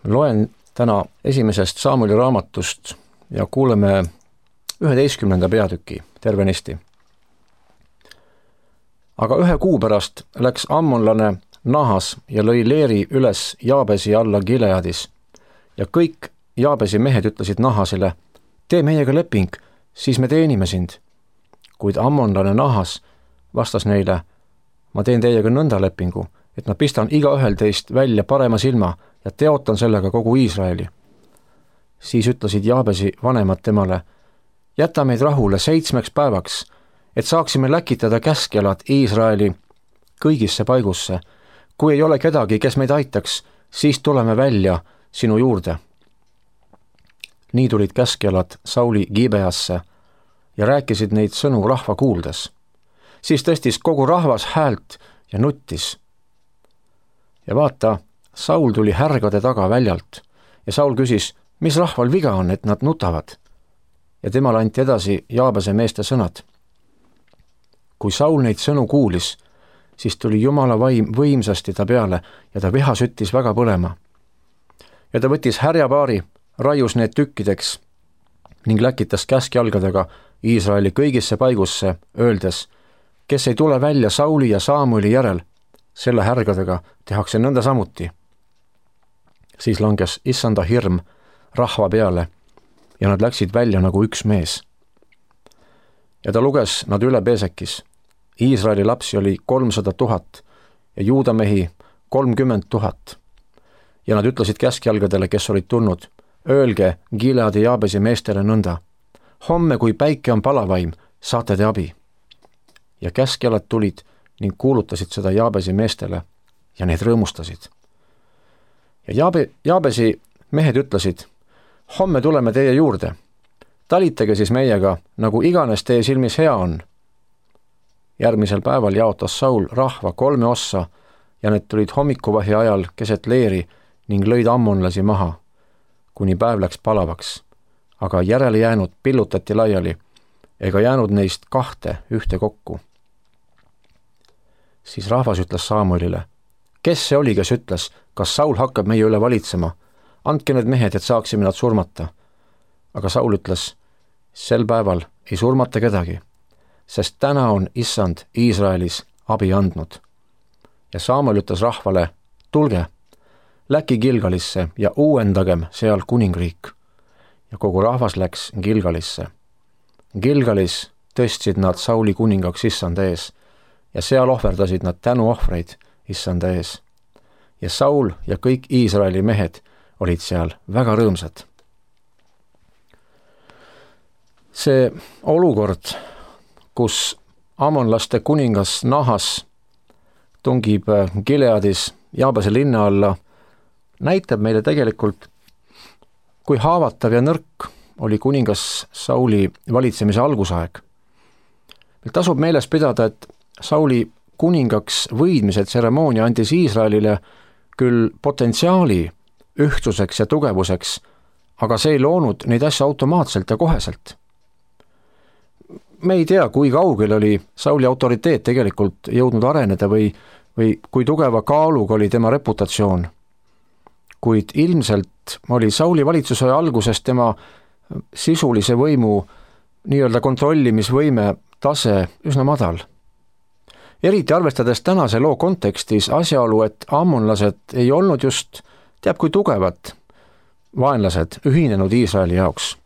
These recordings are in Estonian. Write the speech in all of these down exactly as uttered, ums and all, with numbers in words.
Loen täna esimesest Samueli raamatust ja kuuleme üheteistkümnenda peatüki tervenisti. Aga ühe kuu pärast läks ammonlane Nahas ja lõi leeri üles Jaabesi alla Gileadis ja kõik Jaabesi mehed ütlesid Nahasile, tee meiega leping, siis me teenime sind. Kuid ammonlane Nahas vastas neile, ma teen teiega nõnda lepingu, et ma pistan igaühel teist välja parema silma ja teotan sellega kogu Iisraeli. Siis ütlesid Jaabesi vanemad temale, jäta meid rahule seitsmeks päevaks, et saaksime läkitada käskjalad Iisraeli kõigisse paigusse. Kui ei ole kedagi, kes meid aitaks, siis tuleme välja sinu juurde. Nii tulid käskjalad Sauli Gibeasse ja rääkisid neid sõnu rahva kuuldes. Siis tõstis kogu rahvas häält ja nuttis. Ja vaata, Saul tuli härgade taga väljalt ja Saul küsis, mis rahval viga on, et nad nutavad. Ja temale anti edasi Jaabese meeste sõnad. Kui Saul neid sõnu kuulis, siis tuli Jumala vaim võimsasti ta peale ja ta viha süttis väga põlema. Ja ta võttis härjapaari, raius need tükkideks ning läkitas käskjalgadega Iisraeli kõigisse paigusse, öeldes, kes ei tule välja Sauli ja Samueli järel, selle härgadega tehakse nõnda samuti. Siis langes issanda hirm rahva peale ja nad läksid välja nagu üks mees. Ja ta luges nad üle Beesekis. Iisraeli lapsi oli kolmsada tuhat ja Juuda mehi kolmkümmend tuhat. Ja nad ütlesid käskjalgadele, kes olid tulnud, öelge Gileadi Jaabesi meestele nõnda, homme, kui päike on palavaim, saate te abi. Ja käskjalad tulid ning kuulutasid seda Jaabesi meestele ja need rõõmustasid. Ja Jaabe, Jaabesi mehed ütlesid, homme tuleme teie juurde, talitage siis meiega, nagu iganes teie silmis hea on. Järgmisel päeval jaotas Saul rahva kolme ossa ja need tulid hommikuvahi ajal keset leeri ning lõid ammonlasi maha, kuni päev läks palavaks, aga järele jäänud pillutati laiali, ega jäänud neist kahte ühte kokku. Siis rahvas ütles Samuelile, kes see oli, kes ütles, kas Saul hakkab meie üle valitsema, andke need mehed, et saaksime nad surmata. Aga Saul ütles, sel päeval ei surmata kedagi, sest täna on issand Iisraelis abi andnud. Ja Samuel ütles rahvale, tulge, läki Gilgalisse ja uuendagem seal kuningriik. Ja kogu rahvas läks Gilgalisse. Gilgalis tõstsid nad Sauli kuningaks issanda ees ja seal ohverdasid nad tänuohvreid issanda ees. Ja Saul ja kõik Iisraeli mehed olid seal väga rõõmsad. See olukord, kus ammonlaste kuningas Nahas tungib Gileadis Jaabese linna alla, näitab meile tegelikult, kui haavatav ja nõrk oli kuningas Sauli valitsemise algusaeg. Meil tasub meeles pidada, et Sauli kuningaks võidmise tseremoonia andis Iisraelile küll potentsiaali ühtsuseks ja tugevuseks, aga see ei loonud neid asja automaatselt ja koheselt. Me ei tea, kui kaugel oli Sauli autoriteet tegelikult jõudnud areneda või, või kui tugeva kaaluga oli tema reputatsioon. Kuid ilmselt oli Sauli valitsuse alguses tema sisulise võimu nii-öelda kontrollimisvõime tase üsna madal. Eriti arvestades tänase loo kontekstis asjaolu, et ammonlased ei olnud just teab kui tugevad vaenlased ühinenud Iisraeli jaoks.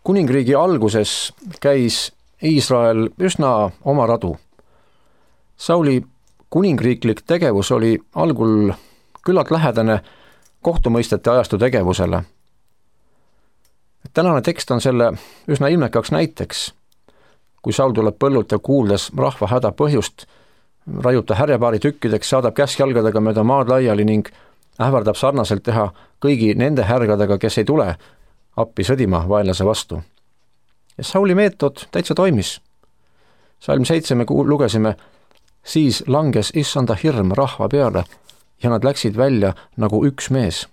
Kuningriigi alguses käis Iisrael üsna oma radu. Sauli kuningriiklik tegevus oli algul küllalt lähedane kohtumõistete ajastu tegevusele. Tänane tekst on selle üsna ilmekaks näiteks. Kui Saul tuleb põllult ja kuuldes rahva häda põhjust, raiub ta härjapaari tükkideks, saadab käskjalgadega mööda maad laiali ning ähvardab sarnaselt teha kõigi nende härgadega, kes ei tule appi sõdima vaenlase vastu. Ja Sauli meetod täitsa toimis. Salm seitse me lugesime, siis langes issanda hirm rahva peale ja nad läksid välja nagu üks mees.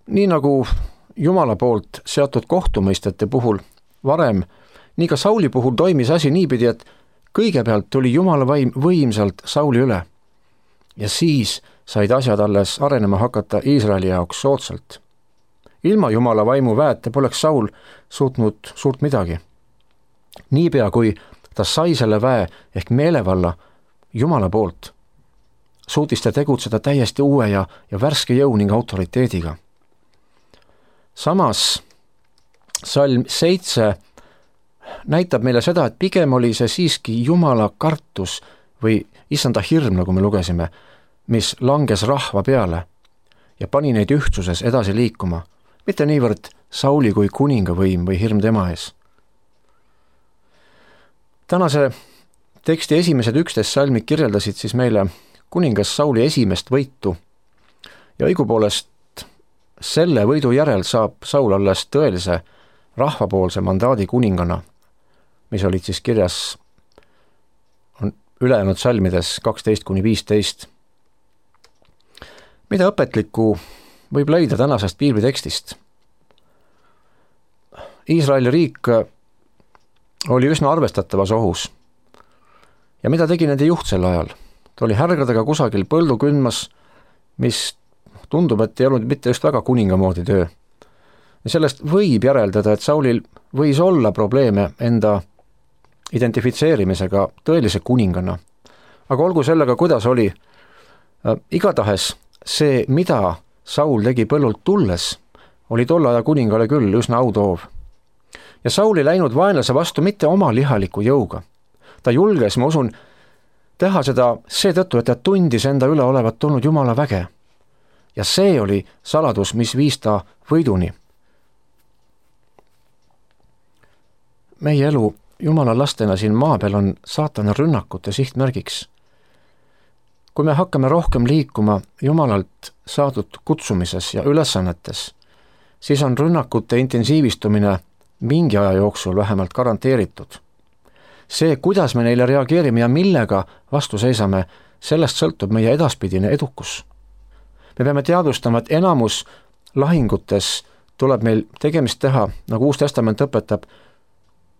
Nii nagu Jumala poolt seatud kohtumõistete puhul varem, nii ka Sauli puhul toimis asi niipidi, et kõigepealt tuli Jumala vaim võimsalt Sauli üle. ja siis said asjad alles arenema hakata Iisraeli jaoks soodsalt. Ilma Jumala vaimu väeta poleks Saul suutnud suurt midagi. Niipea kui ta sai selle väe ehk meelevalla Jumala poolt, suutis ta tegutseda täiesti uue ja, ja värske jõu ning autoriteediga. Samas salm seitse näitab meile seda, et pigem oli see siiski Jumala kartus või issanda hirm, nagu me lugesime, mis langes rahva peale ja pani neid ühtsuses edasi liikuma, mitte niivõrd Sauli kui kuninga võim või hirm tema ees. Tänase teksti esimesed üksteist salmid kirjeldasid siis meile kuningas Sauli esimest võitu ja õigupoolest selle võidu järel saab Saul alles tõelise rahvapoolse mandaadi kuningana, mis olid siis kirjas on ülejäänud salmides kaksteist kuni viisteist. Mida õpetlikku võib leida tänasest piiblitekstist? Iisraeli riik oli üsna arvestatavas ohus. Ja mida tegi nende juht sel ajal? Ta oli härgadega kusagil põldu kündmas, mis tundub, et ei olnud mitte just väga kuninga moodi töö. Ja sellest võib järeldada, et Saulil võis olla probleeme enda identifitseerimisega tõelise kuningana. Aga olgu sellega, kuidas oli, äh, igatahes see, mida Saul tegi põllult tulles, oli tolle aja kuningale küll üsna autoov. Ja Saul ei läinud vaenlase vastu mitte oma lihaliku jõuga. Ta julges, ma usun, teha seda seetõttu, et ta tundis enda üle olevat tulnud Jumala väge. Ja see oli saladus, mis viis ta võiduni. Meie elu Jumala lastena siin maa peal on saatana rünnakute sihtmärgiks. Kui me hakkame rohkem liikuma Jumalalt saadud kutsumises ja ülesannetes, siis on rünnakute intensiivistumine mingi aja jooksul vähemalt garanteeritud. See, kuidas me neile reageerime ja millega vastu seisame, sellest sõltub meie edaspidine edukus. Me peame teadvustama, et enamus lahingutes tuleb meil tegemist teha, nagu Uus Testament õpetab,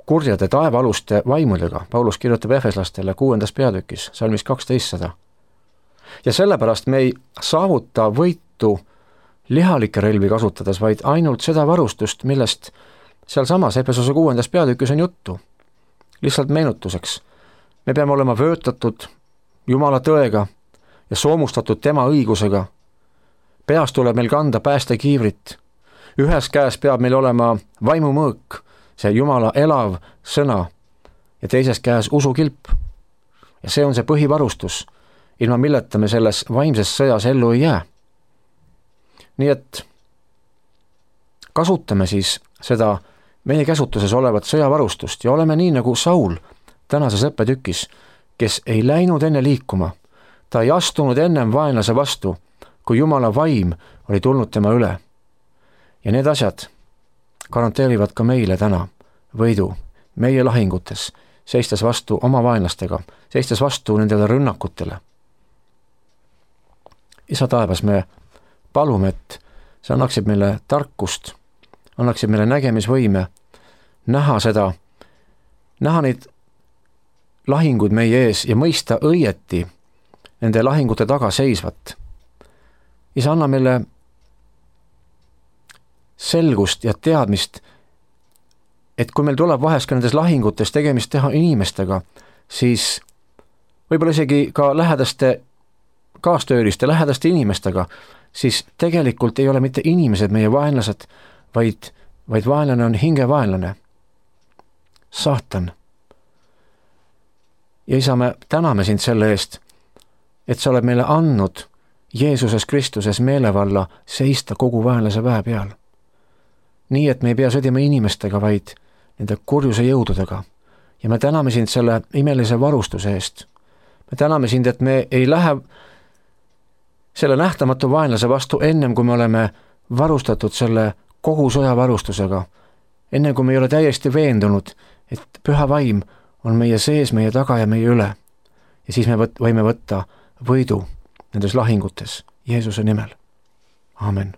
kurjade taevaaluste vaimudega. Paulus kirjutab Efeslastele kuuendas peatükis, salmis kaksteist sada. Ja sellepärast me ei saavuta võitu lihalike relvi kasutades, vaid ainult seda varustust, millest seal samas Efesose kuuendas peatükis on juttu. Lihtsalt meenutuseks. Me peame olema vöötatud Jumala tõega ja soomustatud tema õigusega. Peas tuleb meil kanda päästekiivrit. Ühes käes peab meil olema vaimumõõk, see Jumala elav sõna, ja teises käes usukilp. Ja see on see põhivarustus, ilma milleta me selles vaimses sõjas ellu ei jää. Nii et kasutame siis seda meie käsutuses olevat sõjavarustust ja oleme nii nagu Saul tänases õppetükis, kes ei läinud enne liikuma. Ta ei astunud ennem vaenlase vastu, kui Jumala vaim oli tulnud tema üle. Ja need asjad garanteerivad ka meile täna võidu meie lahingutes, seistes vastu oma vaenlastega, seistes vastu nendele rünnakutele. Isa taevas, me palume, et see annaksid meile tarkust, annaksid meile nägemisvõime, näha seda, näha neid lahinguid meie ees ja mõista õieti nende lahingute taga seisvat. Isa, anna meile selgust ja teadmist, et kui meil tuleb vahest ka nendes lahingutes tegemist teha inimestega, siis võib-olla isegi ka lähedaste kaastööliste, lähedaste inimestega, siis tegelikult ei ole mitte inimesed meie vaenlased, vaid, vaid vaenlane on hingevaenlane. Saatan. Ja isa, me täname sind selle eest, et sa oled meile andnud Jeesuses Kristuses meelevalla seista kogu vaenlase väe peal. Nii, et me ei pea sõdima inimestega, vaid nende kurjuse jõududega. Ja me täname sind selle imelise varustuse eest. Me täname sind, et me ei lähe selle nähtamatu vaenlase vastu ennem, kui me oleme varustatud selle kogu sõjavarustusega. Enne kui me ei ole täiesti veendunud, et püha vaim on meie sees, meie taga ja meie üle. Ja siis me võt- võime võtta võidu nendes lahingutes Jeesuse nimel. Aamen.